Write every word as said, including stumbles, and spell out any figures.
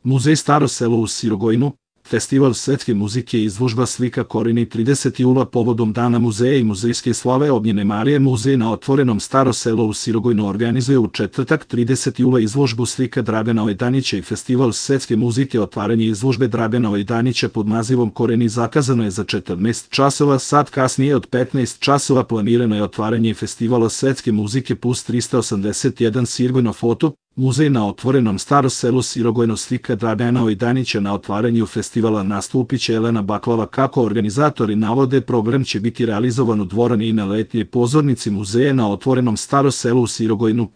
Muzej Staro selo u Sirogojnu, festival svetske muzike i izložba slika Koreni trideset jula povodom Dana muzeja i muzejske slave Ognjene Marije. Muzej na otvorenom Staro selo u Sirogojnu organizuje u četvrtak tridesetog jula izložbu slika Dragana Ojdanića i festival svetske muzike. Otvaranje izložbe Dragana Ojdanića pod nazivom Koreni zakazano je za četrnaest časova, sat kasnije od petnaest časova planirano je otvaranje festivala svetske muzike plus trista osamdeset jedan Sirogojno foto. Muzej na otvorenom Staro selo Sirogojno slika Dragana Ojdanića. Na otvaranju festivala nastupit će Elena Baklava. Kako organizatori navode, program će biti realizovan u dvorani i na letnjoj pozornici muzeja na otvorenom Staro selo u Sirogojnu.